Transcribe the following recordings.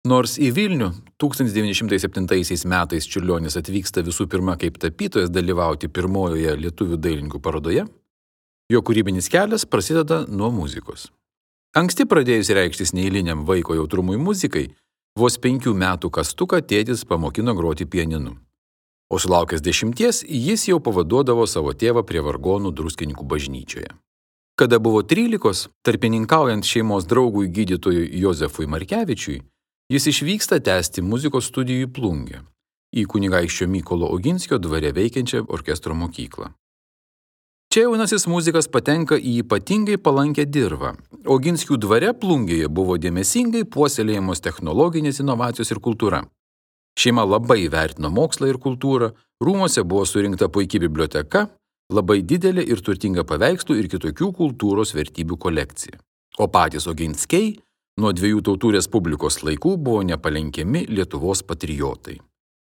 Nors į Vilnių 1907 metais Čiurlionis atvyksta visų pirma kaip tapytojas dalyvauti pirmojoje lietuvių dailininkų parodoje, jo kūrybinis kelias prasideda nuo muzikos. Anksti pradėjus reikštis neeiliniam vaiko jautrumui muzikai, vos 5 metų kastuką tėtis pamokino groti pianinu. O sulaukęs 10 jis jau pavaduodavo savo tėvą prie vargonų Druskininkų bažnyčioje. Kada buvo 13, tarpininkaujant šeimos draugui gydytojui Jozefui Markevičiui, jis išvyksta tęsti muzikos studijų į Plungę, į kunigaikščio Mykolo Oginskio dvare veikiančią orkestro mokyklą. Čia jaunasis muzikas patenka į ypatingai palankę dirvą. Oginskių dvare Plungėje buvo dėmesingai puoselėjamos technologinės inovacijos ir kultūra. Šeima labai vertino mokslą ir kultūrą, rūmuose buvo surinkta puiki biblioteka, labai didelė ir turtinga paveikslų ir kitokių kultūros vertybių kolekcija. O patys Oginskiai nuo 2 tautų respublikos laikų buvo nepalenkiami Lietuvos patriotai.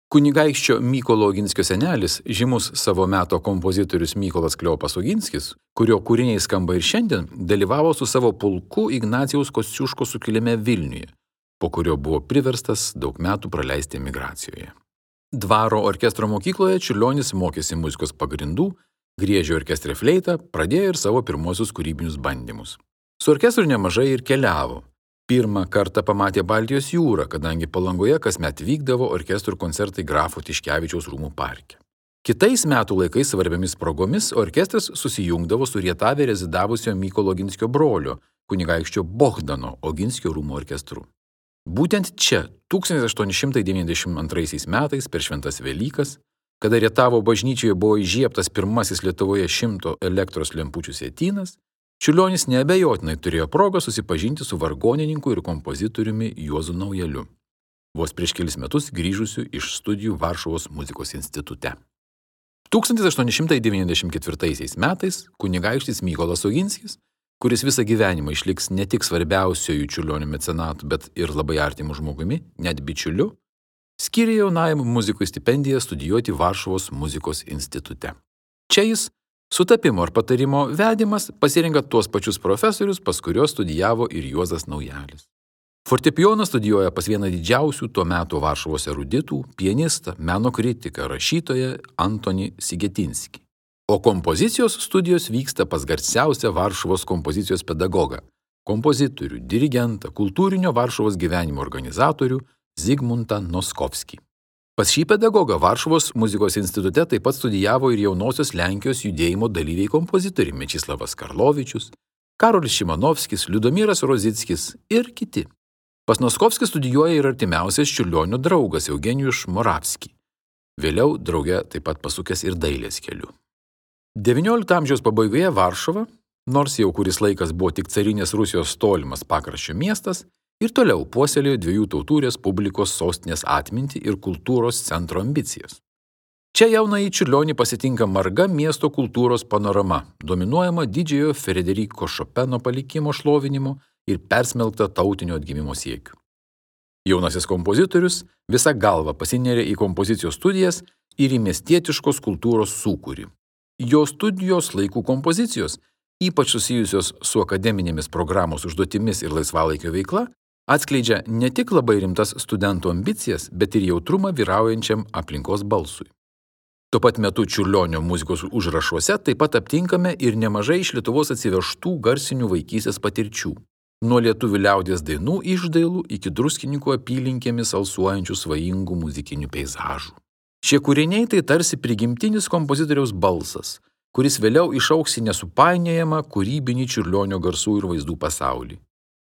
Kunigaikščio Mykolo Oginskio senelis, žymus savo meto kompozitorius Mykolas Kleopas Oginskis, kurio kūriniai skamba ir šiandien, dalyvavo su savo pulku Ignacijaus Kosciuškos sukilime Vilniuje, po kurio buvo priverstas daug metų praleisti emigracijoje. Dvaro orkestro mokykloje Čiurlionis mokėsi muzikos pagrindų, griežė orkestre fleitą, pradėjo ir savo pirmosius kūrybinius bandymus. Su orkestru nemažai ir keliavo. Pirmą kartą pamatė Baltijos jūrą, kadangi Palangoje kasmet vykdavo orkestrų koncertai Grafo Tiškevičiaus rūmų parke. Kitais metų laikais svarbiamis progomis orkestras susijungdavo su Rietave rezidavusio Mykolo Oginskio brolio, kunigaikščio Bohdano Oginskio rūmų orkestru. Būtent čia 1892 metais per Šventas Velykas, kada Rietavo bažnyčioje buvo įžiebtas pirmasis Lietuvoje 100 elektros lempučių sietynas, Čiurlionis neabejotinai turėjo progą susipažinti su vargonininku ir kompozitoriumi Juozu Naujaliu, vos prieš kelis metus grįžusiu iš studijų Varšuvos muzikos institute. 1894 metais kunigaikštis Mykolas Oginskis, kuris visą gyvenimą išliks ne tik svarbiausiojų Čiurlionio mecenatu, bet ir labai artimu žmogumi, net bičiuliu, skyrė jaunajam muzikui stipendiją studijuoti Varšuvos muzikos institute. Čia jis sutapimo ar patarimo vedimas pasirenka tuos pačius profesorius, pas kuriuos studijavo ir Juozas Naujalis. Fortepijoną studijuoja pas vieną didžiausių tuo metu Varšuvos eruditų, pianistą, meno kritiką, rašytoją Antonį Sigetinskį. O kompozicijos studijos vyksta pas garsiausią Varšuvos kompozicijos pedagogą, kompozitorių, dirigentą, kultūrinio Varšuvos gyvenimo organizatorių Zigmuntą Noskovskį. Pas šį pedagogą Varšuvos muzikos institute taip pat studijavo ir jaunosios Lenkijos judėjimo dalyviai kompozitoriai Mečislavas Karlovičius, Karolis Šimanovskis, Liudomiras Rozickis ir kiti. Pas Noskovskį studijuoja ir artimiausias Čiurlionio draugas Eugenijus Moravski. Vėliau drauge taip pat pasukęs ir dailės keliu. XIX amžiaus pabaigoje Varšuva, nors jau kuris laikas buvo tik carinės Rusijos tolimas pakraščio miestas, ir toliau puoselėjo 2 tautų respublikos sostinės atmintį ir kultūros centro ambicijas. Čia jaunąjį Čiurlionį pasitinka marga miesto kultūros panorama, dominuojama didžiojo Frederiko Šopeno palikimo šlovinimo ir persmelkta tautinio atgimimo siekių. Jaunasis kompozitorius visą galvą pasinėrė į kompozicijos studijas ir į miestietiškos kultūros sūkurį. Jo studijos laikų kompozicijos, ypač susijusios su akademinėmis programos užduotimis ir laisvalaikio veikla, atskleidžia ne tik labai rimtas studentų ambicijas, bet ir jautrumą vyraujančiam aplinkos balsui. Tuo pat metu Čiurlionio muzikos užrašuose taip pat aptinkame ir nemažai iš Lietuvos atsivežtų garsinių vaikystės patirčių, nuo lietuvių liaudies dainų išdailų iki Druskininkų apylinkėmis alsuojančių svajingų muzikinių peizažų. Šie kūriniai tai tarsi prigimtinis kompozitoriaus balsas, kuris vėliau išaugs į nesupainiojamą kūrybinį Čiurlionio garsų ir vaizdų pasaulį.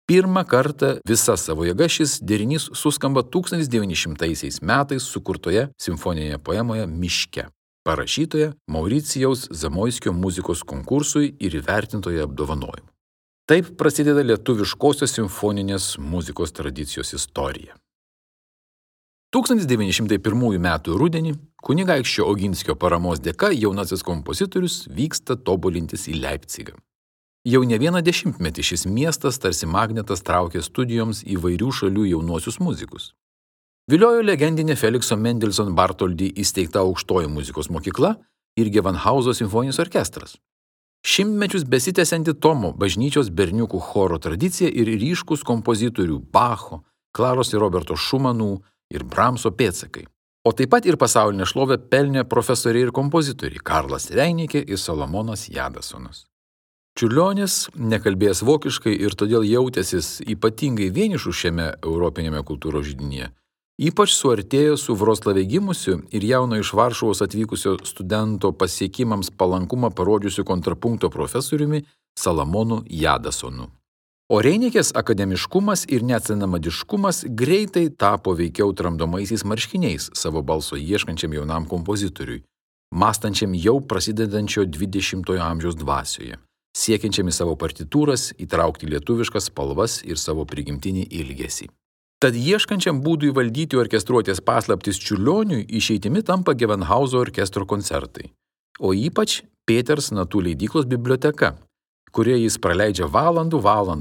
Pirmą kartą visa savo jėga šis derinys suskamba 1900 metais sukurtoje simfoninėje poemoje Miške, parašytoje Mauricijaus Zamoiskio muzikos konkursui ir įvertintoje apdovanojimu. Taip prasideda lietuviškosios simfoninės muzikos tradicijos istorija. 1901 metų rudenį kunigaikščio Oginskio paramos dėka jaunasis kompozitorius vyksta tobulintis į Leipcigą. Jau ne vieną dešimtmetį šis miestas tarsi magnetas traukė studijoms įvairių šalių jaunuosius muzikus. Viliojo legendinė Felikso Mendelson Bartholdy įsteigta aukštoji muzikos mokykla ir Gewandhauso simfoninis orkestras. Šimtmečius besitęsianti Tomo bažnyčios berniukų choro tradicija ir ryškus kompozitorių Bacho, Klaros ir Roberto Šumanų ir Bramso pėdsakai. O taip pat ir pasaulinę šlovę pelnė profesoriai ir kompozitoriai Karlas Reinikė ir Salomonas Jadasonas. Čiurlionis nekalbėjęs vokiškai ir todėl jautęsis ypatingai vienišu šiame europinėme kultūros židinyje, ypač suartėjo su Vroclave gimusiu ir jauno iš Varšuvos atvykusio studento pasiekimams palankumą parodžiusiu kontrapunkto profesoriumi Salomonu Jadasonu. O Reinikės akademiškumas ir neatsenamadiškumas greitai tapo veikiau tramdomaisiais marškiniais savo balso ieškančiam jaunam kompozitoriui, mąstančiam jau prasidedančio 20-ojo amžiaus dvasioje, siekiančiam į savo partitūras įtraukti lietuviškas spalvas ir savo prigimtinį ilgesį. Tad ieškančiam būdų įvaldyti orkestruotės paslaptis Čiurlioniui išeitimi tampa Gewandhauso orkestro koncertai, o ypač Peters Natų leidyklos biblioteka, kurioje jis praleidžia valandų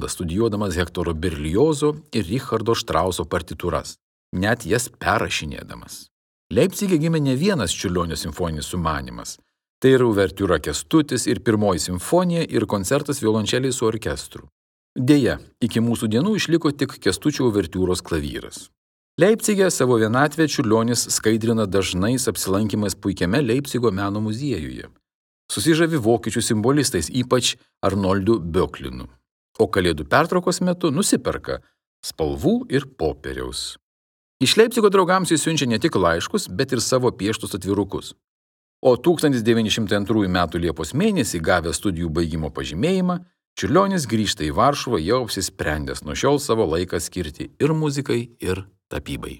studijuodamas Hektoro Berliozo ir Richardo Štrauso partitūras, net jas perrašinėdamas. Leipcige gimė ne vienas Čiurlionio simfoninis sumanymas. Tai yra uvertiūra Kęstutis ir pirmoji simfonija ir koncertas violončeliai su orkestru. Deja, iki mūsų dienų išliko tik Kęstučio uvertiūros klavyras. Leipcige savo vienatvę Čiurlionis skaidrina dažnais apsilankymais puikiame Leipcigo meno muziejuje. Susižavi vokiečių simbolistais, ypač Arnoldu Böcklinu. O kalėdų pertraukos metu nusiperka spalvų ir popieriaus. Iš Leipcigo draugams jis siunčia ne tik laiškus, bet ir savo pieštus atvirukus. O 1902 m. Liepos mėnesį gavęs studijų baigimo pažymėjimą, Čiurlionis grįžta į Varšuvą jau apsisprendęs nuo šiol savo laiką skirti ir muzikai, ir tapybai.